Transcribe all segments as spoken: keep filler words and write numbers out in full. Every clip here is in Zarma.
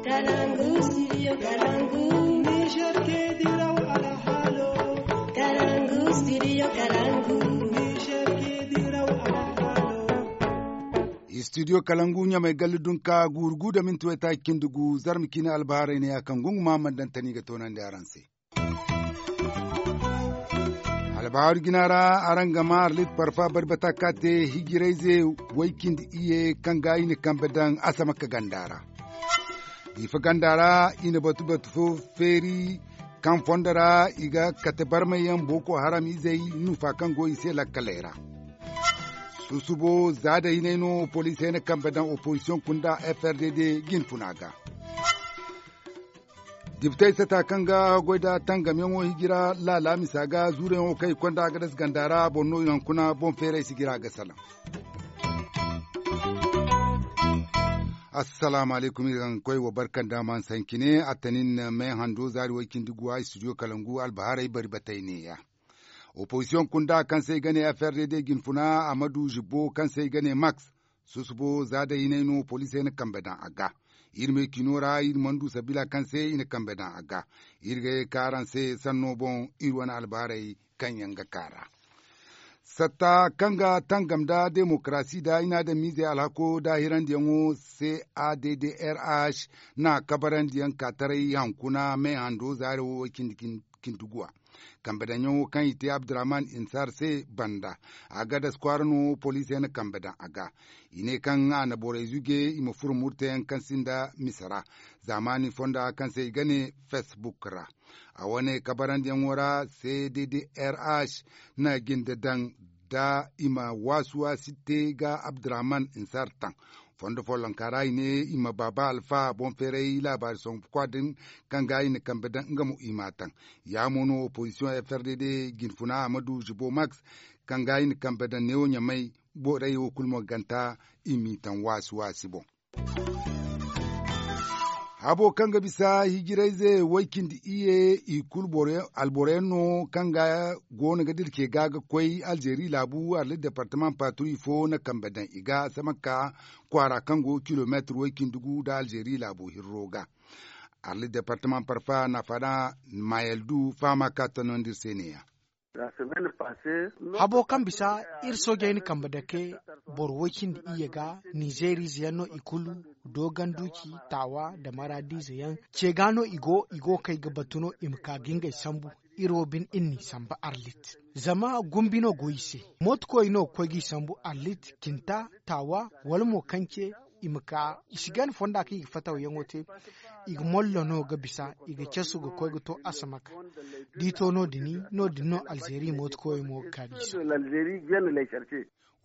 Kalangu, studio Kalangu. Niger ke diraw alhalo. Kalangu, studio Kalangu. Niger ke diraw alhalo. Studio Kalangu ɲamay galli dunka guuru gu da minti waytaaci cindi gu zarma ciine albaharay ne ya kaŋ gungu ma man daŋ tani ga toonandi araŋ se. Albaharu jina ra araŋ ga ma arlit parfa bari bata ka te hijirayze way cindi iyye kaŋ ga i na kambe daŋ asamaka ganda ra. Diifa ganda ra i na batu batu fo feeri kaŋ fondo ra i ga kate barmay yaŋ boko haram izey nufa kaŋ go i se lakkaley ra. Susubo za da hinay no poliisey na kambe daŋ opozisiyoŋ kunda f r d d jinfuna ga. Dibitey sata kaŋ ga goy da tangamyaŋo hijira laala misa ga zuurayaŋo kaŋ i konda a ga dasa ganda ra boŋ no i hankuna boŋ feeray sijira ga salaŋ. Assalaamu alaykum iri ga koy wa barka nda man sankine attanin me hando zaari way cindi guwa studio kalangu albaharay bari batay neeya. Opozisiyoŋ kunda kaŋ se i ga ne f r d d jinfuna amadu zibbo kaŋ se i ga ne max. Susubo za day hinay no poliisey na kambe daŋ a ga. Iri me cino ra iri mana du sabila kaŋ se i na kambe daŋ a ga. Iri ga ye ka araŋ se sanno boŋ iri wane albaarey kaŋ yaŋ ga ka ra. Satta kaŋ ga tangam nda demokarasi nda i na adamiizey alhako daahirandiyaŋo c a d d r h na kabarandiyaŋ ka taray hankuna me hando zaaro wo cindi cindi guwa. Kambe daŋyaŋo kaŋ i te abdurrahman insar se banda a ga das kwaara no poliisey na kambe daŋ a ga. I ne kaŋ a na borey zuge i ma furo murteyaŋ kaŋ sinda misa ra zaamaani fonda kaŋ se i ga ne facebook ra. A wane kabarandiyaŋo ra c d d r h na jinde daŋ da i ma waasi waasi te ga abdurrahman insar taŋ. Fondo follonka ra i ne i ma baaba alfa boŋ feeray laabaari songu kwa din kaŋ ga i na kambe daŋ nga mo i ma taŋ. Ya mo no opozisiyoŋ f r d d jinfuna amadu zibo max kaŋ ga i na kambe daŋ neewo ɲamay borey wo kulu mo ganta i m'i taŋ waasi waasi boŋ. Habo kaŋ ga bisa hijirayze way cindi iyye i kulu alboroyaŋ no kaŋ ga goono ga dirce ga ga koy alzeeri laabu arlit departamaŋ paaturi fo na kambe daŋ i ga samaka kwaara kaŋ go kilomeetir way cindi gu nda alzeeri laabo hirro ga. Arlit departamaŋ parfa na faada mayel du fahama ka tonandi iri se neeya. Habo kaŋ bisa iri soojey na kambe dake boro way cindi iyye ga nizeeriize yaŋ no i kulu dooganduuci taawa nda maraadiize yaŋ ce ga no i go i go kay ga batu no i ma ka ga ngey sambu. Iri wo bine iri n'i samba arlit zama gumbi no go i se. Mootokoy no ga koy g'i sambu arlit cinta taawa wala mo kaŋ ce i ma ka i si gana fonda kaŋ i ga fataw yaŋo te. I ga mollo no ga bisa i ga casu ga koy ga to asamaka. D'i to no- din no- din no alzeeri mootokoyey mo ga ka d'i se.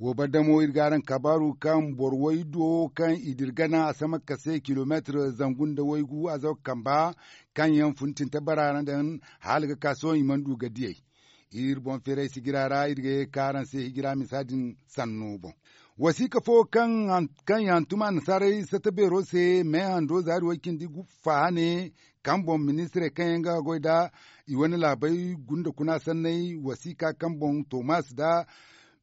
Wo baddamo iri ga araŋ kabaaru kaŋ boro way do kaŋ i dira gana asamaka se kilomeetir zangu nda waygu a zaw ga kamba kaŋ yaŋ funtinta bara ra daŋ hala ga ka sohõ i mana du ga diyey. Iri boŋ feeray sijira ra iri ga ye ka araŋ se hijira misa din sanno boŋ. Wasiika fo kaŋ i hantum annasaarey sata beero se me hando zaari way cindi gu faha ne kaŋ boŋ ministirey kaŋ yaŋ ga goy nda i wane laabey gunda kuna sanney wasiika kaŋ boŋ tomas nda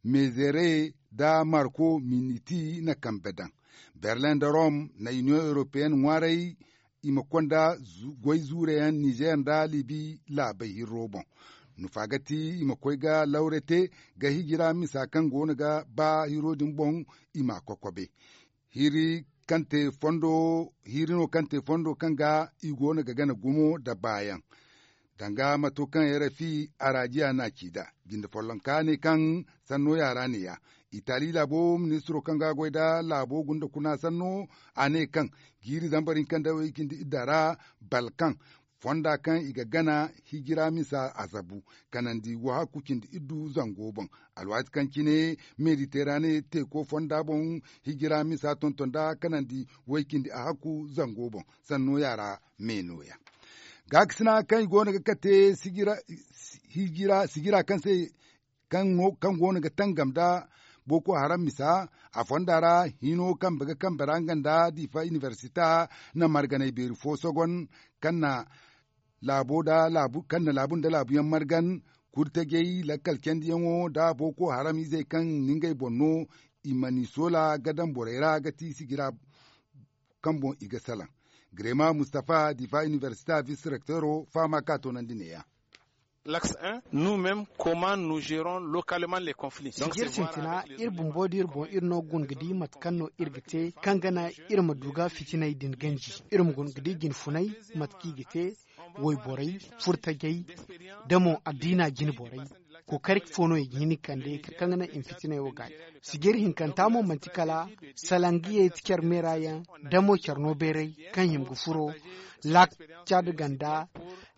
mezere nda marko miniti na kambe daŋ. Berlin nda rom na iniyoŋ europeyenne ŋwaaray i ma konda goy zuure yaŋ nizer nda libi laabey hirro boŋ. Nufa ga ti i ma koy ga lawre te ga hijira misa kaŋ go no ga ba hiro din boŋ i ma kokobe. Hiri kaŋ te fondo hiri no kaŋ te fondo kaŋ ga i go no ga gana gumo nda baayaŋ. Danga mato kaŋ rfi arajiya na ci nd'a jinde follonka ne kaŋ sanno yaara neeya. Itali laabo ministiro kaŋ ga goy nda laabo gunda kuna sanno a ne kaŋ jiiri zambar hinka nda way cindi idda ra balkaŋ fonda kaŋ i ga gana hijira misa a zabu kanandi wahakku cindi iddu zango boŋ. Alwaati kaŋ cine mediterane teeko fonda boŋ hijira misa tonton nda kanandi way cindi a hakku zango boŋ. Sanno yaara me nooya gaakasina kaŋ i go no ga kate sijira kaŋ se kaŋ go no ga tangam nda boko haram misa a fonda ra hino kambe ga kambe ra nga nda diifa inibersita na marganey beeri fo sogon kaŋ na laabu nda laabuyaŋ margan kurtajey lakkal candiyaŋo nda boko haram izey kaŋ na ngey boŋ no i ma ni soola ga daŋ borey ra ga ti sijira kaŋ boŋ i ga salaŋ. Grema mustafa difa inibersita vis direktero fahama ka toonandi neeya. Laks un nu mem comment nu jeron lokalman le conflit. Sijir sintina iri bumbo da iri boŋ iri no ga guna ga di mate kaŋ no iri ga te kaŋ ga naŋ iri ma du ga fitiney din ganji. Iri ma guna ga di jinfuney mate kaŋ i ga te wayborey, furtajey, da mo addiina jine borey. Kookari fo no i ga hin ga kande kaŋ ga naŋ i ma fitiney wo gaayi. Sijir hinkanta mo manti kala salangiyey ti care meera yaŋ, da mo care no beeray kaŋ hima ga furo laak caad ganda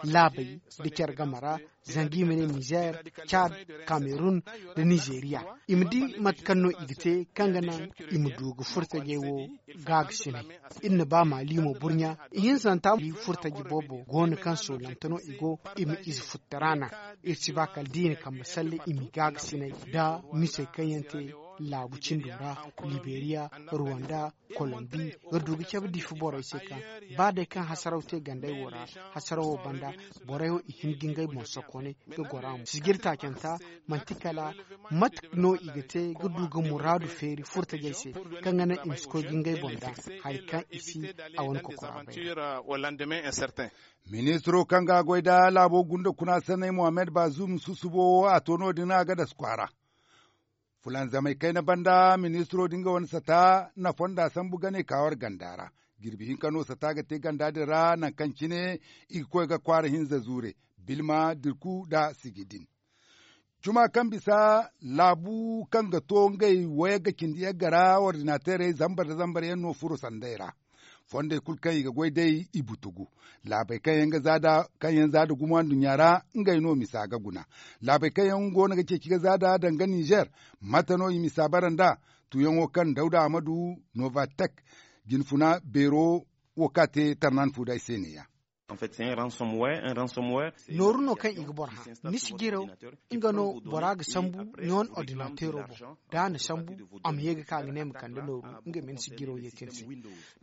laabey da care game ra, zanga i ma ne nizer, caad, kamerun, da nizeriya. I ma di mate kaŋ no i ga te kaŋ ga naŋ i ma du ga furtajey wo gaagasinay. Iri na ba maali mo burɲa ihinsanta furtaji boobo go no kaŋ soolante no i go. I ma ize futtara naŋ. Iri si ba kala da i na kambe salle i m'i gaagasinay nda misey kaŋ yaŋ te laabu cindo ra, liberiya, ruwanda, kolombi, ga du ga cabe difi borey se kaŋ ba day kaŋ hasaraw te gandey wo ra, hasaraw wo banda borey wo i hin ga ngey boŋ sokoonay ga goro a mo sijir taacanta. Manti kala mate no i ga te ga du ga muraadu feeri furtajey se kaŋ ga naŋ i ma si koy ga ngey boŋ daŋ hari kaŋ i si a wane kokora bay. Ministiro kaŋ ga a goy nda laabo gunda kuna sanney mohammed bazum susubo wo a to no- din a ga dasu kwaara fulanzamey kayna banda ministiro din ga wane sata na fonda sambu gane ka war ganda ra. Jirbi hinka no sata ga te ganda din ra nangu kaŋ cine i ga koy ga kwaara hinza zuure bilma dirku nda sijidin. Juma kaŋ bisa laabu kaŋ ga to ngey wayagga cindi yagga ra ordinaterey zambar nda zambar yaŋ no furo sandey ra. Fondey kulu kaŋ i ga goy day i butugu. Laabey kaŋ yaŋ za nda gumo anduɲɲa ra ngey no misa ga guna. Laabey kaŋ yaŋ go no ga ceeci ga za nda danga nizer, mate no i misa bara nd'a? Tuyaŋo kaŋ dawda amadu novatek jinfuna beero wo ka te tarnan fu day se neeya. Nooru no kaŋ i ga boro hã ni si jiro nga no bora ga sambu ni wane ordinateero boŋ. Da a na sambu a ma ye ga ka ga ne ma kande nooru nga ma ni si jiro ye te ni se.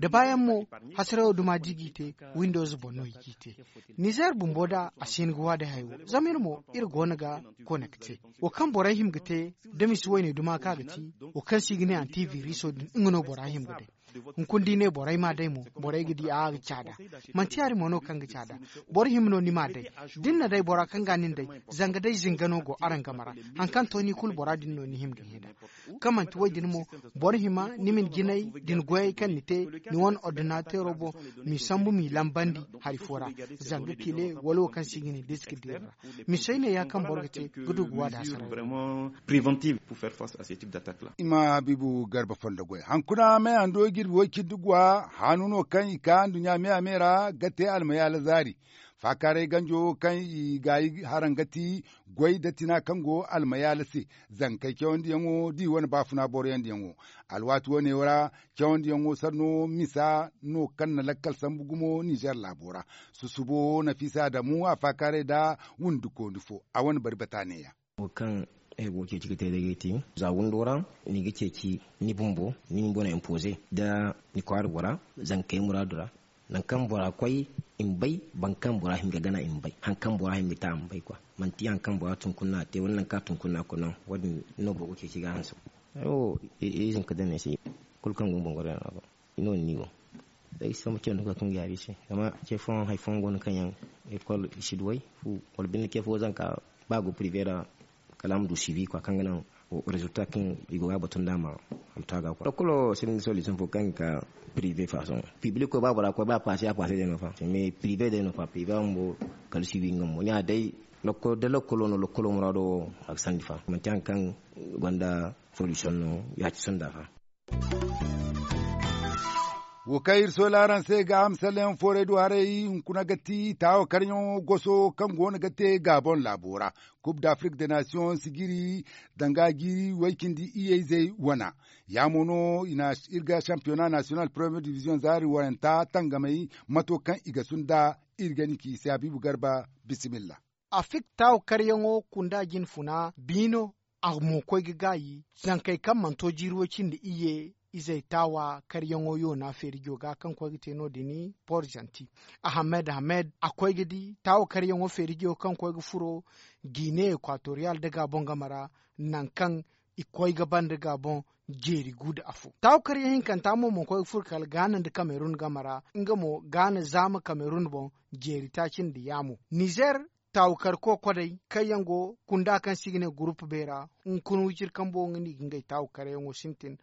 Da baayaŋ mo hasarayo duma da i g'i te windows boŋ no i g'i te. Nizer bumbo da a si hin ga waadi hayo zama iri mo iri go no ga konekte wo kaŋ borey hima ga te da misi wayne duma kaŋ a ga ti wo kaŋ se i ga ne antiviriso din nga no bora hima ga day. Hunkuna da i ne borey ma day mo borey ga di a ga caada. Manti yaadin mo no kaŋ ga caada. Boro hima no ni ma day da ni na day bora kaŋ ga nin day zanga day zinga no go araŋ game ra. Hari kaŋ to ni kulu bora din no ni hima ga hẽ nd'a kaŋ manti wo- din mo boro hima ni ma ni jinay da ni goyey kaŋ ni te ni wane ordinateero boŋ m'i sambu m'i lambandi hari fo ra. Zanga kile wala wo kaŋ se i ga ne diski din ra misey ne ya kaŋ boro ga te ga du ga waada hasara. Préventive pour faire face à ce type d'attaque là. I ma habiibu garba fondo goy hankuna me hando jirbi way cindi guwa haanu no kaŋ i ka nduɲɲa me a me ra ga te almayaala zaari. Faakaaray ganjo kaŋ i gaayi haraŋ ga ti goy da tina kaŋ go almayaala se. Zankey cawandiyaŋo da i wane baafuna boroyandiyaŋo. Alwaati wane ra cawandiyaŋo sanno misa no kaŋ na lakkal sambu gumo nizer laabo ra. Susubo nafiisa adamu a faakaaray nda wundikooni fo a wane bari bata neeya. Wo kaŋ ay go ga ceeci ga te day ga ti za windo ra ni ga ceeci ni bumbo ni bumbo na impoze nda ni kwaara bora zankey muraadu ra. Nangu kaŋ bora koy i ma bay boro kaŋ bora hin ga gana i ma bay hari kaŋ bora hin ga te a ma bay kwa. Manti hari kaŋ bora tun kuna a te wala nangu kaŋ a tun kuna a kuna wo- din no boro ga ceeci ga hanse. Wo ize ma ka daŋ ne se kulu kaŋ go ni boŋ goro yaŋ ra go. Ni no ni go day sambu ce no ga kaŋ ga yaabi se zama ce fooyaŋ hari fooyaŋ go no kaŋ yaŋ ekol i si duw'ey fu wala binde ce fo zanka ba a go prive ra. Kala a ma du sivi kwa kaŋ ga naŋ rezulta kaŋ i go ga a batu nd'a ma a ma to a ga kwa lokolo sirindi solution fo kaŋ ga ka prive façon pibliko ba bora koy ba passe a passe day no fa mais prive day no fa prive a bumbo kala sivi nga mo ɲa day. Da lokolo no lokolo muraado wo a ga sandi fa manti hari kaŋ gonda solution no ya ci sonda fa. Wo kaŋ iri sola araŋ se ga a ma salleyaŋ foorey du haray hunkuna ga ti taawo karyaŋo goso kaŋ go no ga te gaaboŋ laabo ra. Coupe d'afrique de nation sijiri danga jiiri way-cindi iyeyzey wana. Ya mo no iri ga championnat national première division zaari wayanta tangamey mato kaŋ i ga sunday. Iri ga ni ci i se habiibu garba. Bisimilla. Afrik taawo karyaŋo kunda jinfuna biino a mo koy ga gaayi zankey kaŋ mana to jiiri way cindi iyye izey taawa karyaŋo yoona feerijo ga kaŋ koy ga te no- din. Porzanti ahamed hamed a koy ga di taawa karyaŋo feerijo kaŋ koy ga furo guinee equatorial da gaabon game ra. Nangu kaŋ i koy ga banda ga boŋ jeeri gu nda afo. Taawu karyaŋ hinkanta mo mana koy ga furo kala gaana nda kamerun game ra. Nga mo gaana zaama kamerun boŋ jeeri taaci nda yaamo. Nizer taawu kar kokodey kaŋ yaŋ go kunda kaŋ se i ga ne gurupu beera, hunkuna wiciri kambo nga no i ga ngey taawu karyaŋo sintin.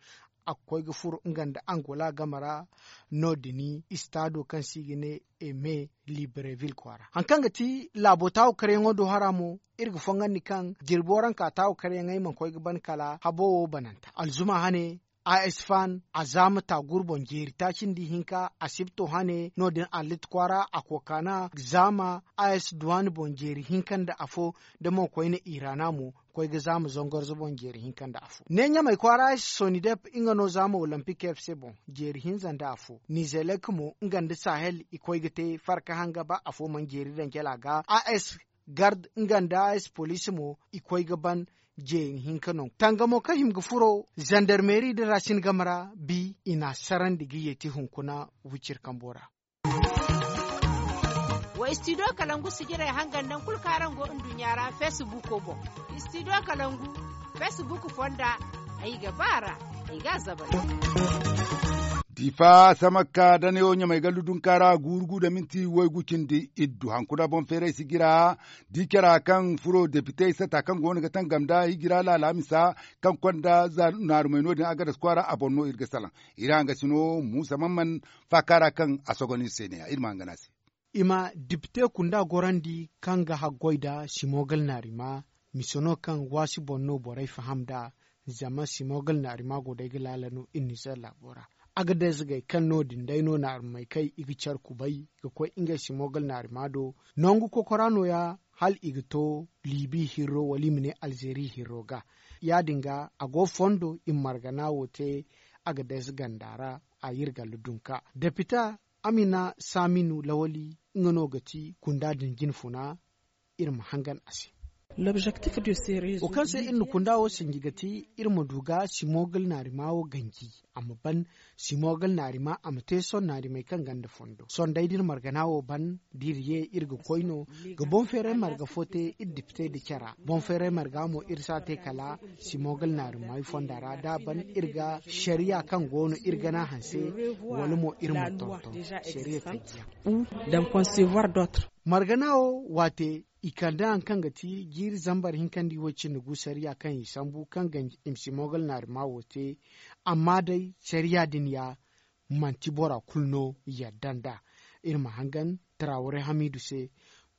A ga koy ga furo nga nda angola game ra. No- din istaado kaŋ se i ga ne eme libreville kwaara hari kaŋ ga ti laabo taawu karyaŋo do hara mo, iri ga fongandi kaŋ jirbi waranka taawu karyaŋey mana koy ga ban kala habo wo bananta alzuma hane. A s fan a zaama taaguru boŋ jeeri taaci nda ihinka asibto hane no- din allit kwaara a kokaana zaama. A s duwaani boŋ jeeri hinka nda afo, da mo koyne irana mo koy ga zaama zangorzo boŋ jeeri hinka nda afo ne ɲamey kwaara a s sonidep nga no zaama olimpik f c boŋ jeeri hinza nda afo. Nizelek mo nga nda sahel i koy ga te farka hanga ba afo mana jeeri daŋ cala ga a s gard nga nda a s poliisi mo i koy ga ban jeeni hinka no tangamo kaŋ hima ga furo zandarmeeri nda racine game ra bi i n'a sarandi ga yeeti hunkuna wiciri kambo ra. Wa istidiyo kalangu sijirey hangan naŋ kulu kaŋ araŋ go nduɲɲa ra feesibuuko boŋ. Istidiyo kalangu feesibuuku fonda ay ga ba a ra. Ay ga a zabay. Diifa samakka da neewo ɲamay gallu dunka ra guuru gu nda minti waygu cindi iddu hankuna boŋ feeray sijira. Di cara kaŋ furo depitey sata kaŋ go no ga tangam nda hijira laala misa kaŋ konda za naarumey no- din agadas kwaara a boŋ no iri ga salaŋ. Iri hangasino muusa man man faaka ra kaŋ a sogon iri se ne- ya iri ma hangan a se. I ma depite kunda gorandi kaŋ ga haggoy nda simogal naarima. Mise no kaŋ waasi boŋ no borey faham nd'a. Zama simogal naarima go day ga laala no iri nizer laabo ra. Agades gay kaŋ no- din day no naarumey kay i ga care kubay ga koy ngey simogal naarima do. Nangu kokora nooya hala i ga to libi hirro wala i ma ne alzeeri hirro ga. Ya- din ga a go fondo i ma margana wo te. Agades ganda ra a yirgallu dunka depita amina saminu lawali nga no ga ti kunda din jinfuna. Iri ma hangan a se wo kaŋ se iri na kunda wo sinji ga ti iri ma du ga simogal naarima wo ganji a ma ban simogal naarima a ma te soŋ naarimey kaŋ ganda fondo soŋ day da iri margana wo ban da iri ye iri ga koy no ga boŋ feeray marga fo te iri dipitey nda cara boŋ feeray marga mo iri si a te kala simogal naarimey fonda ra da a ban iri ga sariya kaŋ go no iri gana hanse wala mo iri ma tonton sariya feejiyaŋ. Margana wo waate i kande hari kaŋ ga ti jiiri zambar hinka nda i wo cindi gu sariya kaŋ i sambu kaŋ ga i ma si mogal naarima wo te. Amma day sariya din ya manti bora kulu no yadda nd'a. Iri ma hangan taraware hamiidu se.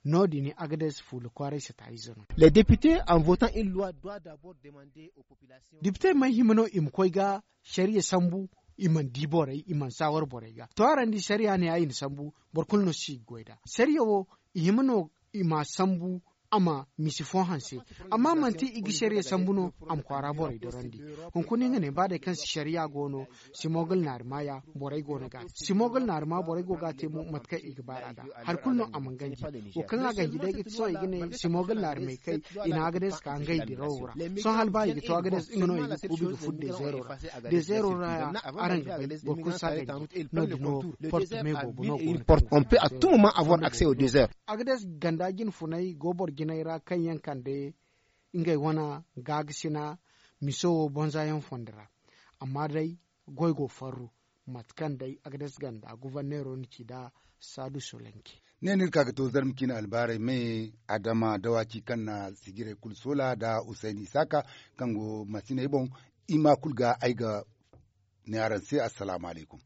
No- din agades fuula kwaaray sata ize no. Les députés en votant une loi doit d'abord demander aux populations. Dipitey mana hima no i ma koy ga sariya sambu. I mana di borey i mana saawar borey ga to araŋ di sariya ne ya i na sambu. Boro kulu no si ga goy nd'a sariya wo i hima no i m'a sambu. A ma misi fo hanse amma manti i ga sariya sambu no. A ma kwaara borey dorandi hunkuna nga ne ba day kaŋ si sariya go no. Simogal naari maaya borey go no ga a te simogal naari ma borey go ga a te mo mate kaŋ i ga baar'a nd'a. Hari kulu no a mana ganji wo kaŋ a ganji day ga ti sohõ i ga ne simogal naari may kay. I na agades ka ngey dirawo ra sohõ hala ba i ga to agades nga no i ga kuubi ga furo dezeero ra. Dezeero ra ya araŋ ga bay boro kulu si a ganji. No- din no porte me boobo no go no. On peut à tout moment avoir accès au désert. Agades ganda jinfunay go boro jinay ra kaŋ yaŋ kande ngey wane gaagasina miso wo bonza yaŋ fondo ra. Amma day goy go farru mate kaŋ day agades ganda guvarneero na ci nd'a. Saadu solenke. Ne no iri ka ga to zarma ciine albaaray me adama dawaci kaŋ na sijirey kulu soola nda usayni isaaka kaŋ go masiney boŋ. I ma kulu ga ay ga ne araŋ se assalaamu alaykum.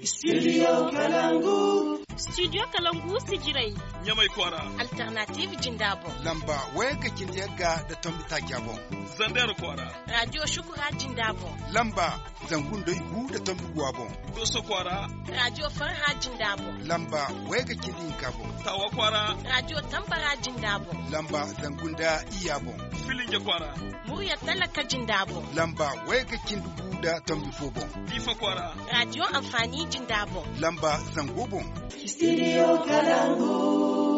Studio kalangu. Studio kalangu sijirey. Ɲamay kwaara. Alternative jinda boŋ. Lamba wayga cindi yagga nda tombi taaca boŋ. Zander kwaara. Radio shukura jinda boŋ. Lamba zangu nda igu nda tombi guwa boŋ. Doso kwaara. Radio farha jinda boŋ. Lamba wayga cindi hinka boŋ. Tawa kwaara. Radio tambara jinda boŋ. Lamba zangu nda iyya boŋ. Filinge kwaara. Murya talaka jinda boŋ. Lamba wayga cindi gu nda tombi fo boŋ. Diifa kwaara. Radio amfani jinda boŋ. Lamba zango boŋ. Studio kalangu.